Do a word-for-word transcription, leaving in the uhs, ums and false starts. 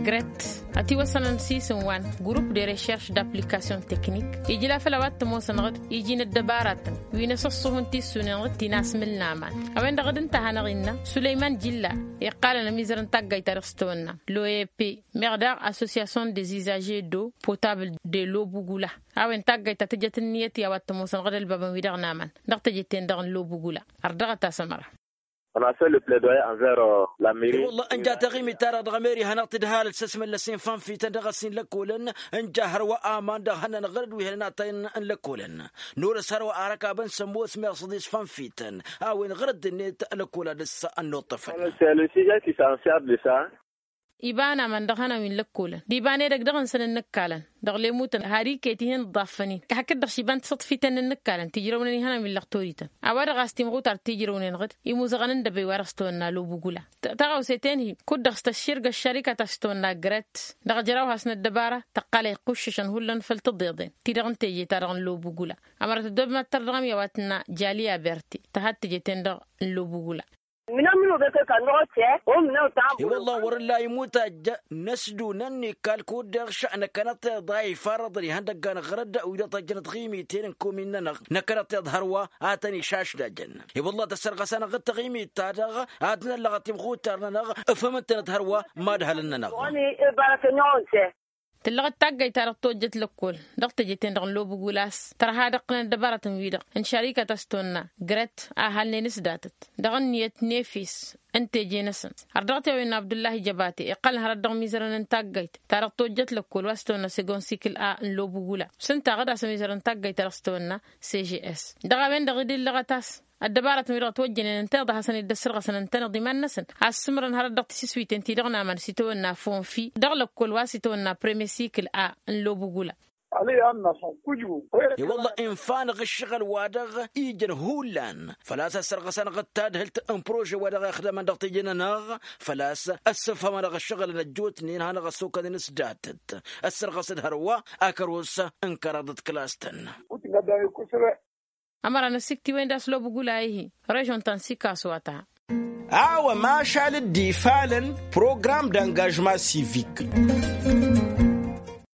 Gret ătiwăsănăn s-isǝm wa n-grup de recherche d-application technique ijla făll-a-wa t-ămoosăn ɣǝd iji n-ăddăbaratăn wi n-asǝṣṣuhǝn tissunen ɣǝd ti n-asmǝl n-aman. A-wen-dăɣ dd-ǝnta a hanăɣ-innă sulăyman jilla iqqalăn ămizăr n-taggayt-ta-dăɣ s-tawănna l'oep meɣ daɣ association des usagers d'eau potable de lobugula. A-wen taggayt ta tǝjăt ǝnniyăt i-a-wa t-ămoosăn ɣǝd ălbabăn-wi-dăɣ n-aman dăɣ-teje-ten-dăɣ n-lobugula. Ărdăɣăt-as ămăra. Ănasăl plădoya ănver. La miri. I-wălla ǝnja taɣimit-ta-dăɣ dăɣ-emeri hanăɣ-tǝdhalăt s-ăsmăllăs i-infanfităn dăɣ-ăssin lăkkolăn. Ǝnja hărwa aman dăɣ-hănnăn ɣărăd wi hănăn atăyăn n-lăkkolăn. Nolăs hărwa arăkabăn sămmos meɣ săḍis fanfităn a-wen ɣărăd-net lăkkola dăr-s ănnuṭṭăfăn. Sălăsija ti s-ansiar dăr-sa. Iba n-aman dăɣ-hănan wi n-lăkkolăn d-iba n-edăgg dăɣ-nǝsăn ǝnnǝkkalăn dăɣ-lemutăn har iket-ihin ǝḍḍaffăn-in hakd-dăɣ šiba n-tisǝḍfităn n-ǝnnǝkkalăn tijrăwnen ihănan wi n-lăqtorităn. A-wa-dăɣ a-s timɣutar tijrăwnen ɣǝd imuzăɣăn n-dăbăy wa dăɣ-s tawănna lobugula. Taɣăwse-ten-hi kud-dăɣ s-tăšširgăš šărika ta s-tawănna gret dăɣ-ejăraw has-năddăbara tăqqal a iqquššăšăn hullan făll-tǝḍeḍen-ti-dăɣ n-teje-ta-dăɣ n-lobugula. Ămăra tăddob mad-tărdăɣăm i-a-wa tǝnna jali aberte tăhad teje-ten-dăɣ n-lobugula. Mǝnămnǝw băkăk ănnuɣ-t. I-wălla wăr-ǝlla imutaj n-ăsdunăn n-ikal kud-dăɣ šănăkănăt iḍa ifarăḍăn ihăndăggan ɣărăd wi-dăɣ tăjjănăt ɣimiten n-komin-nănăɣ. Năkănăt iḍ hărwa ad-tăn-išašdajăn. I-wălla tăssărɣăs-anăɣ d-taɣimit-ta-dăɣ ad-năllăɣăt imxutar-nănăɣ. Ǝfhǝm ǝntănăt hărwa mad-hălăn-nănăɣ. Tǝllăɣăt taggayt-ta-dăɣ tojjăt lăkkol dăɣ-teje-ten-dăɣ n-lobugul a-s tărha ad-ǝqqǝlăn ăddăbarătăn-wi-dăɣ n-šarikăt a-s tawănna gret a halnen s-datăt dăɣ-ǝnniyăt n-efes n-teje-năsăn. Ărdăɣăt i-a-wen n-abdullahi jăbate iqqălăn hărăt dăɣ-imizărăn n-taggayt-ta-dăɣ tojjăt lăkkol wa s-tawănna segon sikǝl a n-lobugul a s-ǝnta ɣǝd a-s ămizărăn taggayt-ta-dăɣ s-tawănna cgs. Dăɣ-a-wen-dăɣ idǝllăɣăt a-s ăddăbarătăn-wi-dăɣ ătwăjjănen ǝntăneḍ a hasăn-dd-ăssărɣăsăn ǝntăneḍ iman-năsăn a ăssǝmrăn hărăt dăɣ-tisǝswiten-ti-dăɣ n-aman s-itawănna fonfi dăɣ-lăkkol wa s-itawănna premier sikǝl a n-lobugula. I-wălla infa-năɣ ǝššăɣǝl-wa-dăɣ ijăn hullan făl-a-s ăssărɣăs-anăɣ d-tadhǝlt n-prože-wa-dăɣ ixdămăn dăɣ-teje-nănăɣ. Făl-a-s ăssăfhamănăɣ ǝššăɣǝlăn ăjjootnen hanăɣ-ăssokănen s-datăt ăssărɣăs d-hărwa akăros n-kăraḍăt kǝlas-tăn. Ămăra n-ăsiktiwen d-a-s lobugula ihi režon ta n-sikaso a ta. A-wa mašal dd-ifalăn program d-angažma sivik.